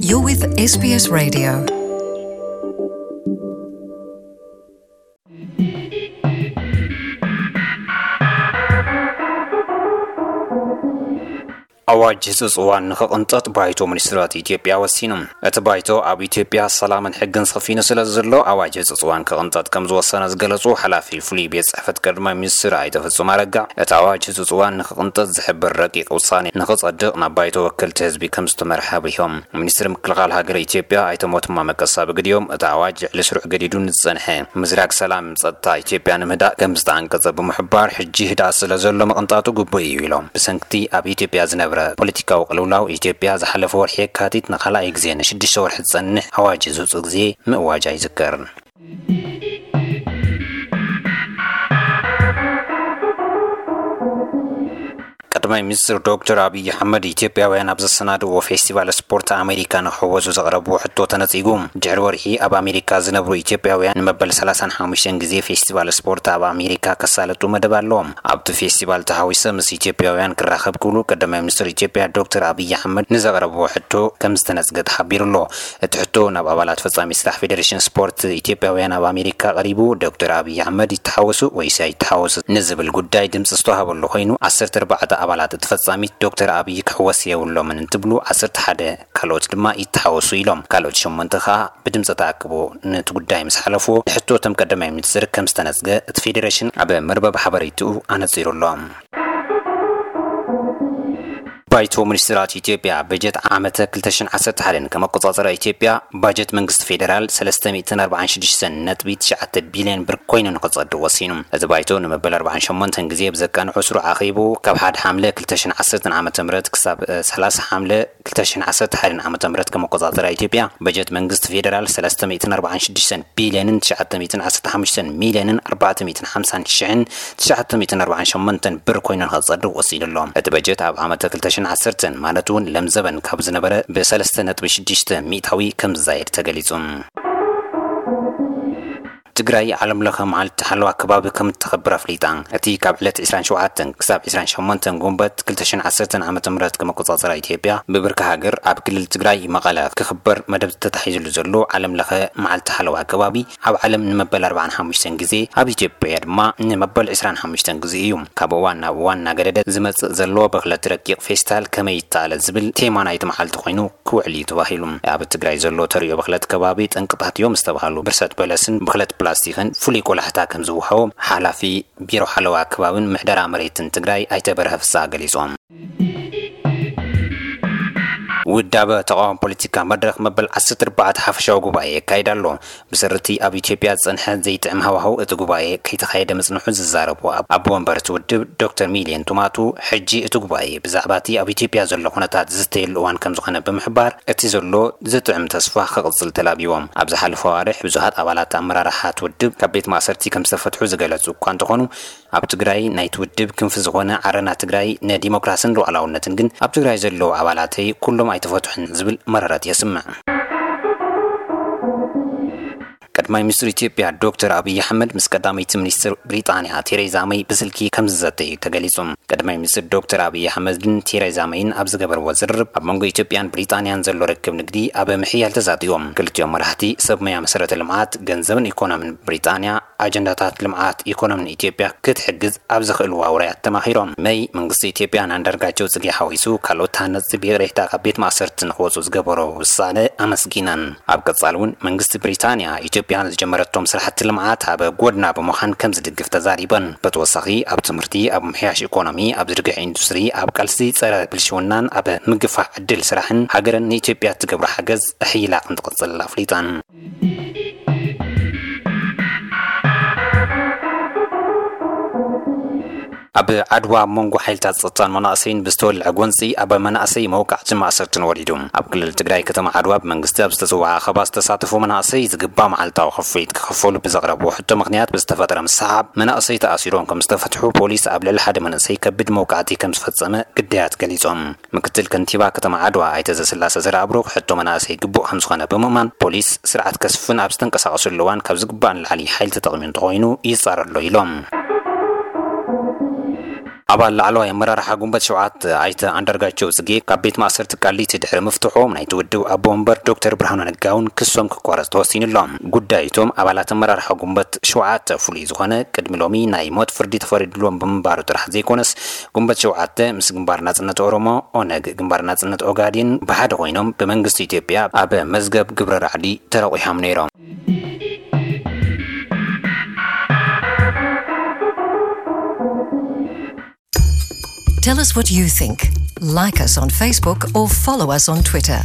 You're with S B S Radio. ኣዋጅ ህጹጽ እዋን ንኽቕንጠጥ ባይቶ ሚኒስትራት ኢትዮጵያ ወሲኑ። እቲ ባይቶ ኣብ ኢትዮጵያ ሰላምን ሕግን ሰፊኑ ስለ ዘሎ ኣዋጅ ህጹጽ እዋን ክቕንጠጥ ከም ዝወሰነ ዝገለጹ ሓላፊ ፍሉይ ቤት ጽሕፈት ቀዳማይ ሚኒስትር ኣይተ ፍጹም ኣረጋ፣ እቲ ኣዋጅ ህጹጽ እዋን ንኽቕንጠጥ ዝሕብር ረቂቕ ውሳኔ ንኽጸድቕ ናብ ባይቶ ወከልቲ ህዝቢ ከም ዝተመርሐ ኣብሪሆም። ሚኒስትሪ ምክልኻል ሃገር ኢትዮጵያ ኣይተ ሞቱማ መቀሳ ብግዲኦም፣ እቲ ኣዋጅ ልዕሊ ስሩዕ ገዲዱ ንዝጸንሐ ምዝራግ ሰላም ጸጥታ ኢትዮጵያ ንምህዳእ ከም ዝተዓንቀጸ ብምሕባር፣ ሕጂ ህድኣት ስለ ዘሎ ምቕንጣጡ ግቡእ እዩ ኢሎም። ብሰንክቲ ኣብ ኢትዮጵያ ዝነብረ ፖለቲካዊ ቅልውላው፣ ኢትዮጵያ ዝሓለፈ ወርሒ የካቲት ንኻልኣይ ግዜ ንሽዱሽተ ወርሒ ዝጸንሕ ኣዋጅ ዝውጽእ ግዜ ምእዋጃ ይዝከር። ቀዳማይ ሚኒስትር ዶክተር ኣብይ ኣሕመድ፣ ኢትዮጵያውያን ኣብ ዘሰናድዎ ፌስቲቫል ስፖርት ኣሜሪካ ንክሕወዙ ዘቕረብዎ ሕቶ ተነጺጉ። ድሕሪ ወርሒ ኣብ ኣሜሪካ ዝነብሩ ኢትዮጵያውያን ንመበል ሰላሳን ሓሙሽተን ግዜ ፌስቲቫል ስፖርት ኣብ ኣሜሪካ ከሳልጡ መደብ ኣለዎም። ኣብቲ ፌስቲቫል ተሓዊሰ ምስ ኢትዮጵያውያን ክራኸብ ክብሉ ቀዳማይ ሚኒስትር ኢትዮጵያ ዶክተር ኣብይ ኣሕመድ ንዘቕረብዎ ሕቶ ከም ዝተነጽገ ተሓቢሩ ኣሎ። እቲ ሕቶ ናብ ኣባላት ፈጻሚ ስራሕ ፌዴሬሽን ስፖርት ኢትዮጵያውያን ኣብ ኣሜሪካ ቀሪቡ፣ ዶክተር ኣብይ ኣሕመድ ይተሓወሱ ወይስ ኣይተሓወሱ ንዝብል ጉዳይ ድምፂ ዝተዋሃበሉ ኮይኑ፣ ዓሰርተ ኣርባዕተ ኣባላት እቲ ፈጻሚት ዶክተር ኣብይ ክሕወስ የብሎምን እንትብሉ፣ ዓሰርተ ሓደ ካልኦት ድማ ይተሓወሱ ኢሎም። ካልኦት ሸሞንተ ከኣ ብድምፂ ተኣክቦ ነቲ ጉዳይ ምስ ሓለፍዎ፣ ንሕቶ እቶም ቀዳማይ ሚኒስትር ከም ዝተነጽገ እቲ ፌዴሬሽን ኣብ መርበብ ሓበሬትኡ ኣነጺሩ ኣሎ። ባይቶ ሚኒስትራት ኢትዮጵያ፣ በጀት ዓመተ ክልተ ሽሕን ዓሰርተ ሓደን ከም ኣቆጻጽራ ኢትዮጵያ፣ ባጀት መንግስቲ ፌደራል ሰለስተ ሚእትን ኣርባዓን ሽዱሽተን ነጥቢ ትሽዓተ ቢልዮን ብር ኮይኑ ንኽጸድቕ ወሲኑ። እዚ ባይቶ ንመበል ኣርባዓን ሸሞንተን ግዜ ብዘቃንዖ ስሩዕ ኣኼቡ፣ ካብ ሓደ ሓምለ ክልተ ሽሕን ዓሰርተን ዓመተ ምህረት ክሳብ፣ እ፣ ሰላሳ ሓምለ ክልተ ሽሕን ዓሰርተ ሓደን ዓመተ ምህረት ከም ኣቆጻጽራ ኢትዮጵያ፣ በጀት መንግስቲ ፌደራል ሰለስተ ሚእትን ኣርባዓን ሽዱሽተን ቢልዮንን ትሽዓተ ሚእትን ዓሰርተ ሓሙሽተን ሚልዮንን ኣርባዕተ ሚእትን ሓምሳን ሽሕን ትሽዓተ ሚእትን ኣርባዓን ሸሞንተን ብር ኮይኑ ንኸጸድቕ ወሲኑ ኣሎ። እቲ በጀት ኣብ ዓመተ ክልተ ሽሕን ዓሰርተን፣ ማለት እውን ለምዘበን ካብ ዝነበረ ብሰለስተ ነጥቢ ሽዱሽተ ሚእታዊ ከም ዝዛየድ ተገሊጹ። ትግራይ ዓለም ለኸ መዓልቲ ሓለዋ ከባቢ ከም እተኸብር ኣፍሊጣ። እቲ ካብ ዕለት ዕስራን ሸውዓተን ክሳብ ዕስራን ሸሞንተን ጉንበት ክልተ ሽሕን ዓሰርተን ዓመተ ምህረት ከም ኣቆጻጽራ ኢትዮጵያ፣ ብብርኪ ሃገር ኣብ ክልል ትግራይ መቐለ ክኽበር መደብ ተታሒዝሉ ዘሎ ዓለም ለኸ መዓልቲ ሓለዋ ከባቢ፣ ኣብ ዓለም ንመበል ኣርባዓን ሓሙሽተን ግዜ፣ ኣብ ኢትዮጵያ ድማ ንመበል ዕስራን ሓሙሽተን ግዜ እዩ። ካብ እዋን ናብ እዋን እናገደደ ዝመጽእ ዘሎ ብኽለት ረቂቕ ፌስታል ከመይ ይተኣለ ዝብል ቴማ ናይቲ መዓልቲ ኮይኑ ክውዕል እዩ ተባሂሉ። ኣብ ትግራይ ዘሎ ተርእዮ ብኽለት ከባቢ ጠንቅታት እዮም ዝተባህሉ ብርሰት በለስን ብኽለት ፕላስቲክን ፍሉይ ቆላሕታ ከም ዝወሃቦም ሓላፊ ቢሮ ሓለዋ ከባብን ምሕደራ መሬትን ትግራይ ኣይተ በርሀ ፍስሃ ገሊጾም። ውዳበ ተቃዋሚ ፖለቲካ መድረኽ መበል ዓሰርተ ኣርባዕተ ሓፈሻዊ ጉባኤ የካይድ ኣሎ። ብሰርቲ ኣብ ኢትዮጵያ ዝጸንሐ ዘይጥዕም ሃዋህው እቲ ጉባኤ ከይተኻየደ ምጽንሑ ዝዛረቡ ኣብ-፣ ኣቦ ወንበር እቲ ውድብ ዶክተር ሚልዮን ቱማቱ፣ ሕጂ እቲ ጉባኤ ብዛዕባ እቲ ኣብ ኢትዮጵያ ዘሎ ኩነታት ዝዝተየሉ እዋን ከም ዝኾነ ብምሕባር፣ እቲ ዘሎ ዝጥዕም ተስፋ ክቕጽል ተላቢዎም። ኣብ ዝሓለፈ ኣዋርሕ ብዙሃት ኣባላት ኣመራርሓ እቲ ውድብ ካብ ቤት ማእሰርቲ ከም ዝተፈትሑ ዝገለጹ እኳ እንተኾኑ፣ ኣብ ትግራይ ናይቲ ውድብ ክንፊ ዝኾነ ዓረና ትግራይ ንዲሞክራስን ሉዓላውነትን ግን፣ ኣብ ትግራይ ዘለዉ ኣባላተይ ኩሎም ኣይተፈትሑን ዝብል መረረት የስምዕ። ቀዳማይ ሚኒስትር ኢትዮጵያ ዶክተር ኣብይ ኣሕመድ ምስ ቀዳመይቲ ሚኒስትር ብሪጣንያ ቴሬዛ መይ ብስልኪ ከም ዝዘተዩ ተገሊጹ። ቀዳማይ ሚኒስትር ዶክተር ኣብይ ኣሕመድን ቴሬዛ መይን ኣብ ዝገበርዎ ዝርርብ፣ ኣብ መንጎ ኢትዮጵያን ብሪጣንያን ዘሎ ርክብ ንግዲ ኣብ ምሕያል ተዛቲዮም። ክልቲኦም መራሕቲ ሰብ ሞያ መሰረተ ልምዓት፣ ገንዘብን ኢኮኖምን ብሪጣንያ፣ ኣጀንዳታት ልምዓት ኢኮኖምን ኢትዮጵያ ክትሕግዝ ኣብ ዝኽእልዋ ውራያት ተማኺሮም። መይ መንግስቲ ኢትዮጵያ ንኣንዳርጋቸው ጽጌ ሓዊሱ ካልኦት ተሃነጽቲ ብይቕሬታ ካብ ቤት ማእሰርቲ ንኽወጹ ዝገበሮ ውሳነ ኣመስጊነን። ኣብ ቀጻሊ እውን መንግስቲ ብሪጣንያ ኢትዮጵያ ንዝጀመረቶም ስራሕቲ ልምዓት ኣብ ጎድና ብምዃን ከም ዝድግፍ ተዛሪበን። ብተወሳኺ ኣብ ትምህርቲ፣ ኣብ ምሕያሽ ኢኮኖሚ፣ ኣብ ዝርግሕ ኢንዱስትሪ፣ ኣብ ቃልሲ ጸረ ብልሽውናን ኣብ ምግፋሕ ዕድል ስራሕን ሃገረን ንኢትዮጵያ እትገብሮ ሓገዝ ኣሕይላ ከም ትቕጽል ኣፍሊጠን። ኣብ ዓድዋ ኣብ መንጎ ሓይልታት ጸጥታን መናእሰይን ብዝተወልዐ ጎንጺ ኣብ መናእሰይ መውቃዕትን ማእሰርትን ወሪዱ። ኣብ ክልል ትግራይ ከተማ ዓድዋ ብመንግስቲ ኣብ ዝተጽውዐ ኣኸባ ዝተሳተፉ መናእሰይ ዝግባእ መዓልታዊ ክፍሊት ክኸፈሉ ብዘቕረብዎ ሕቶ ምኽንያት ብዝተፈጠረ ምስሓብ መናእሰይ ተኣሲሮም ከም ዝተፈትሑ ፖሊስ ኣብ ልዕሊ ሓደ መንእሰይ ከቢድ መውቃዕቲ ከም ዝፈጸመ ግዳያት ገሊጾም። ምክትል ከንቲባ ከተማ ዓድዋ ኣይተ ዘስላሰ ዘርኣብሩኽ ሕቶ መናእሰይ ግቡእ ከም ዝኾነ ብምእማን፣ ፖሊስ ስርዓት ከስፍን ኣብ ዝተንቀሳቐሰሉ እዋን ካብ ዝግባእ ንላዕሊ ሓይሊ ተጠቒሙ እንተኾይኑ ይጻረ ኣሎ ኢሎም። ኣባል ላዕለዋይ ኣመራርሓ ጉንበት ሸውዓተ ኣይተ ኣንዳርጋቸው ጽጌ ካብ ቤት ማእሰርቲ ቃሊቲ ድሕሪ ምፍትሖም ናይቲ ውድብ ኣቦ ወንበር ዶክተር ብርሃኑ ነጋ እውን ክሶም ክቋረጽ ተወሲኑ ኣሎ። ጉዳይ እቶም ኣባላት ኣመራርሓ ጉንበት ሸውዓተ ፍሉይ ዝኾነ ቅድሚ ሎሚ ናይ ሞት ፍርዲ ተፈሪድሎም ብምንባሩ ጥራሕ ዘይኮነስ፣ ጉንበት ሸውዓተ ምስ ግንባር ናጽነት ኦሮሞ፣ ኦነግ፣ ግንባር ናጽነት ኦጋዴን ብሓደ ኮይኖም ብመንግስቲ ኢትዮጵያ ኣብ መዝገብ ግብረ ራዕዲ ተረቑሖም ነይሮም። Tell us what you think. Like us on Facebook or follow us on Twitter.